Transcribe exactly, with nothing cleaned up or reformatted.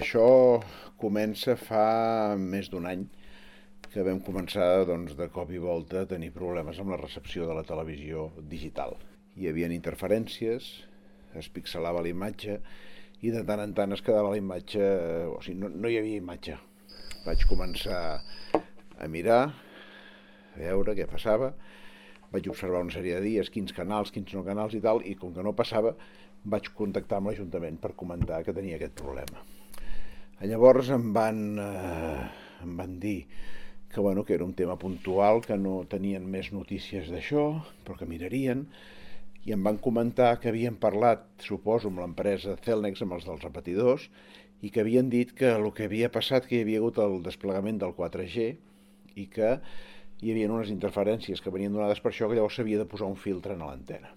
Això comença fa més d'un any que vam començar doncs, de cop i volta a tenir problemes amb la recepció de la televisió digital. Hi havia interferències, es pixelava la imatge i de tant en tant es quedava la imatge, o sigui, no, no hi havia imatge. Vaig començar a mirar, a veure què passava, vaig observar una sèrie de dies, quins canals, quins no canals i tal, i com que no passava, vaig contactar amb l'Ajuntament per comentar que tenia aquest problema. Llavors em van, eh, em van dir que, bueno, que era un tema puntual, que no tenien més notícies d'això, però que mirarien, i em van comentar que havien parlat, suposo, amb l'empresa Cellnex, amb els dels repetidors, i que havien dit que el que havia passat, que hi havia hagut el desplegament del quatre G i que hi havia unes interferències que venien donades per això, que llavors s'havia de posar un filtre en l'antena.